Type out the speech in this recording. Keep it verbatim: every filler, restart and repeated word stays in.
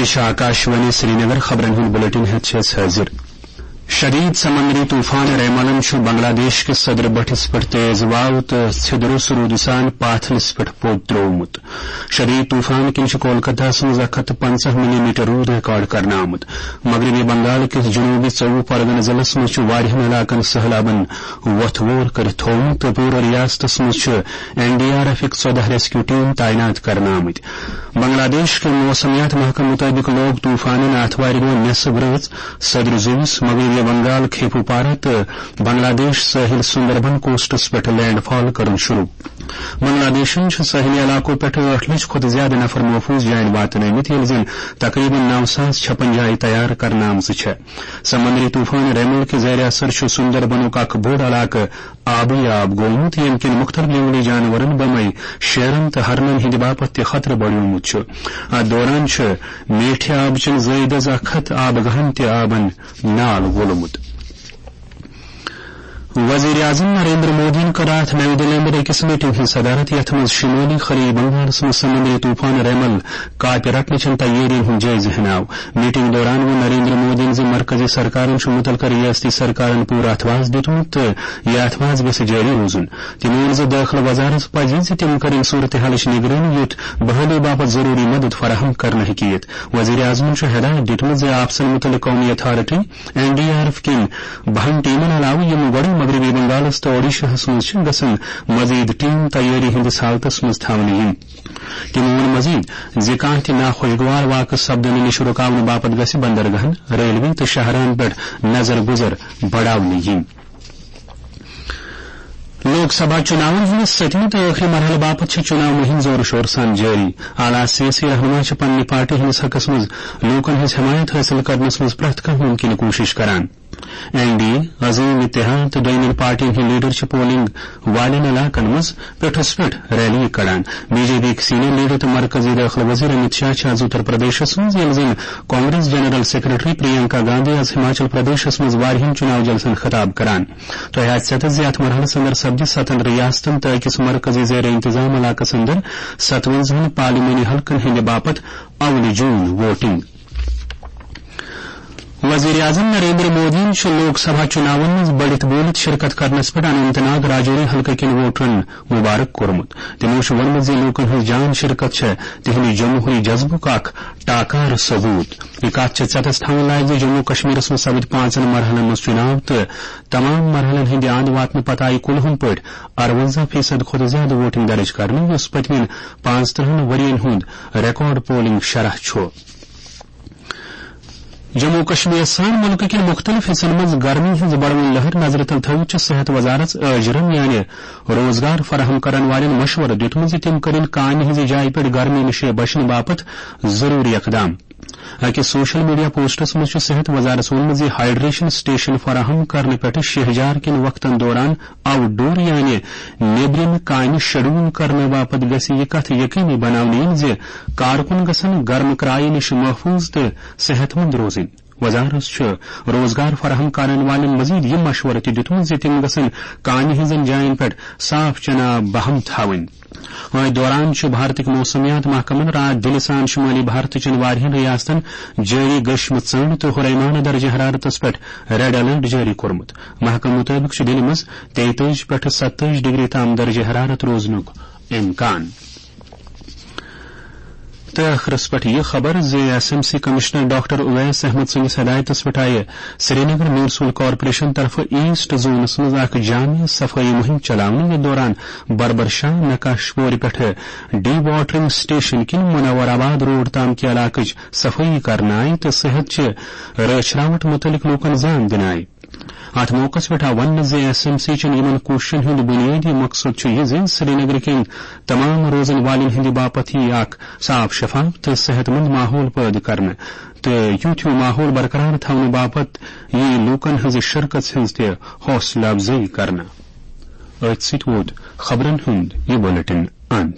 یہِ چھِ آکاشوانی سرینگر۔ خبرن ہُنٛد بُلٹن ہٮ۪تھ چھِ أسۍ حٲضِر۔ شدید سمندری طوفان ریمالن چھُ بنگلہ دیش کِس صدر بٔٹھِس پٮ۪ٹھ تیز واو تہٕ ژھِدرُس روٗدٕ سان پاتھلِس پٮ۪ٹھ پوٚد ترٛوومُت۔ شدید طوفان کِنۍ چھُ کولکتہس منٛز اکھ ہتھ تہٕ پنٛژاہ ملی میٹر روٗد ریکارڈ کرنہٕ آمُت۔ مغربی بنگال کِس جنوبی ژوٚوُہ پرگنہٕ ضلعس منٛز چھُ واریاہن علاقن سٔہلابن وۄتھ وور کٔرِتھ تھوومُت تہٕ پوٗرٕ ریاستس منٛز چھِ این ڈی آر ایفٕکۍ ژۄداہ ریسکیو ٹیم تعینات کرنہٕ آمٕتۍ۔ بنگلہ دیش کہِ موسمیات محکمہٕ مُطٲبِق لوگ طوفانن آتھوارِ دۄہ نٮ۪صٕب رٲژ صدر زوٗوِس مغربی بنگال کھیپوپارہ تہٕ بنگلہ دیش سٲحِل سُندربن کوسٹس پٮ۪ٹھ لینڈ فال کرُن شروٗع۔ بنگلہ دیشن چھِ سٲحلی علاقو پٮ۪ٹھ ٲٹھ لچھ کھۄتہٕ زیادٕ نفر محفوظ جاین واتنٲومٕتۍ، ییٚلہِ زَن تقریباً نو ساس چھپن جایہِ تیار کرنہٕ آمژٕ چھےٚ۔ سمندری طوفان ریمل کہِ زیر اثر چھُ سُندربنُک اکھ بوٚڑ علاقہٕ آبٕے آب گوٚومُت، ییٚمہِ کِنۍ مُختٔلِف جنگلی جانورن بمے شیرن تہٕ ہرنن ہٕنٛدِ باپتھ تہِ خطرٕ بڑیومُت چھُ۔ اتھ دوران چھِ میٹھِ آبہٕ چٮ۪ن زٲیدس اکھ ہتھ آبہٕ گاہن تہِ آبن نال وولمُت۔ وزیر اعظم نریندر مودیَن کٔر راتھ نَیہِ دِلہِ اندر أکِس میٹنگ ہٕنٛز صدارت، یَتھ منٛز شمٲلی خلیج بنگالَس منٛز سمندری طوفان ریمل کاپہِ رٹنہٕ چٮ۪ن تیٲرین ہُنٛد جٲیزٕ ہیناو۔ میٹنگ دوران ووٚن نریندر مودیَن زِ مرکزی سرکارن چھُ مُتعلقہٕ ریاستی سرکارن پوٗرٕ اتھواز دیُتمُت تہٕ یہِ اتھواز گژھِ جٲری روزُن۔ تٔمۍ ووٚن زِ دٲخلہٕ وزارت پزِ زِ تِم کرن صورتحالٕچ نگرٲنی، یُتھ بحالی باپتھ ضروٗری مدد فراہم کرنہٕ ہیٚکہِ یِتھ۔ وزیر اعظمَن چھُ ہدایت دیُتمُت زِ آپژن مُتعلق قومی authority, N D R F کٮ۪ن بَہَن ٹیمن علاوٕ، یِم گۄڈَے مغربی بنگالَس تہٕ اوڈیشاہَس منٛز چھِ، گژھن مزید ٹیم تیٲری ہٕنٛدِس حالتس منٛز تھاونہٕ یِنۍ۔ تٔمۍ ووٚن مزید زِ کانٛہہ تہِ ناخوشگوار واقعہٕ سپدنہٕ نِش رُکاونہٕ باپتھ گژھِ بندرگاہن، ریلوے تہٕ شاہراہن پٮ۪ٹھ نظر گُزر بڑاونہٕ یِنۍ۔ لوک سبھا چُناون ہٕنٛدِس سٔتمہِ تہٕ ٲخری مرحلہٕ باپتھ چھِ چُناو مُہِم زورٕ شورٕ سان جٲری۔ اعلیٰ سیٲسی رہنما چھِ پننہِ پارٹی ہٕنٛدِس حقس منٛز لوٗکن ہٕنٛز حمایت حٲصِل کرنس منٛز پرٛٮ۪تھ کانٛہہ مُمکِنہٕ کوٗشِش کران۔ این ڈی اے، عظیم اتحاد تہٕ دوٚیمٮ۪ن پارٹین ہٕنٛدۍ لیڈر چھِ پولنگ والٮ۪ن علاقن منٛز پیٹھس پٮ۪ٹھ ریلی کڑان۔ بی جے پی ہٕکۍ سینئر لیڈر تہٕ مرکزی دٲخلہٕ وزیر امت شاہ چھِ آز اتر پردیشس منٛز، ییٚلہِ زن کانگریس جنرل سیکرٹری پرینکا گاندھی آز ہماچل پردیشس منٛز واریاہن چُناو جلسن خطاب کران۔ تۄہہِ آسہِ ژےٚ تہٕ زِ یتھ مرحلس اندر سپدِ ستن ریاستن تہٕ أکِس مرکزی زیر انتظام علاقس اندر ستونزہن پارلیمانی حلقن ہٕنٛدِ باپتھ اولہِ جوٗن ووٹنگ۔ وزیر اعظم نریندر مودیَن چھُ لوک سبھا چُناون منٛز بٔڑِتھ بولِتھ شرکت کرنس پٮ۪ٹھ اننت ناگ راجوری حلقہٕ کٮ۪ن ووٹرن مبارک کوٚرمُت۔ تِمو چھُ ووٚنمُت زِ لوٗکن ہٕنٛز جان شرکت چھےٚ تِہنٛدِ جمہوری جذبُک اکھ ٹاکارٕ ثبوت۔ یہِ کتھ چھِ ژٮ۪تس تھاوٕنۍ لایق زِ جموں کشمیرس منٛز سپٕدۍ پانٛژن مرحلن منٛز چُناو تہٕ تمام مرحلن ہٕنٛدِ اند واتنہٕ پتہٕ آیہِ کُلہُم پٲٹھۍ ارونزہ فیصد کھۄتہٕ زیادٕ ووٹنگ درٕج کرنہٕ، یُس پٔتمٮ۪ن پانٛژترٕہن ؤرین ہُنٛد ریکارڈ پولنگ شرح چھُ۔ جموں و کشمیر سان مُلکہٕ کٮ۪ن مُختٔلِف حصن منٛز گرمی ہٕنٛز بڑوٕنۍ لہر نظرِ تل تھٲوِتھ چھِ صحت وزارت عٲجرن یعنی روزگار فراہم کرن والٮ۪ن مشورٕ دیُتمُت زِ تِم کٔرِن کامہِ ہٕنٛزِ جایہِ پٮ۪ٹھ گرمی نِش بچنہٕ باپتھ ضروٗری اقدام۔ أکِس سوشل میڈیا پوسٹس منٛز چھُ صحت وزارت ووٚنمُت زِ ہائیڈریشن سٹیشن فراہم کرنہٕ پٮ۪ٹھٕ شہجار کٮ۪ن وقتن دوران آوٹ ڈور یعنی نیبرِم کامہِ شیڈول کرنہٕ باپتھ گژھِ یہِ کتھ یقینی بناونہٕ یِنۍ زِ کارکُن گژھن گرم کرایہِ نِش محفوظ تہٕ صحت مند روزٕنۍ۔ وزارت چھُ روزگار فراہم کرن والٮ۪ن مزید یہِ مشورٕ تہِ دیُتمُت زِ تِم گژھن کامہِ ہٕنٛزن جاین پٮ۪ٹھ صاف چنہٕ آب بہم تھاوٕنۍ۔ أتھۍ دوران چھُ بھارتٕکۍ موسمیات محکمن راتھ دِلہِ سان شُمٲلی بھارتہٕ چٮ۪ن واریاہن ریاستن جٲری گٔشمہٕ ژٔنٛڈ تہٕ ہُریمانہٕ درجہ حرارتس پٮ۪ٹھ ریڈ الرٹ جٲری کوٚرمُت۔ محکمہٕ مُطٲبِق چھُ دِلہِ منٛز تیتٲجی پٮ۪ٹھٕ ستٲجی ڈگری تام درجہ حرارت روزنُک امکان۔ تہٕ ٲخرس پٮ۪ٹھ یہِ خبر زِ S M C commissioner doctor Owais Ahmad سٕنٛدِس ہدایتس پٮ۪ٹھ آیہِ سرینگر میونسپل کارپوریشن طرفہٕ ایسٹ زونس منٛز اکھ جامع صفٲیی مُہِم چلاونہٕ، یتھ دوران بربر شاہ، نقاش پورِ پٮ۪ٹھٕ ڈی واٹرنگ سٹیشن کِنۍ منور آباد روڈ تام کہِ علاقٕچ صفٲیی کرنہٕ آیہِ تہٕ صحت چہِ رٲچھ راوٹھ مُتعلق لوٗکن زان دِنہٕ آیہِ۔ اتھ موقعس پٮ۪ٹھ آو وننہٕ زِ ایس ایم سی چٮ۪ن یِمن کوٗششن ہُنٛد بُنیٲدی مقصد چھُ یہِ زِ سرینگرٕ کٮ۪ن تمام روزن والٮ۪ن ہٕنٛدِ باپتھ یِیہِ اکھ صاف، شفاف تہٕ صحت مند ماحول پٲدٕ کرنہٕ تہٕ یُتھ ہیوٗ ماحول برقرار تھاونہٕ باپتھ یِیہِ لوٗکن ہٕنٛزِ شرکژ ہٕنٛز تہِ حوصلہٕ افزٲیی کرنہٕ۔ أتھۍ سۭتۍ ووت خبرن ہُنٛد یہِ بُلٹن اند۔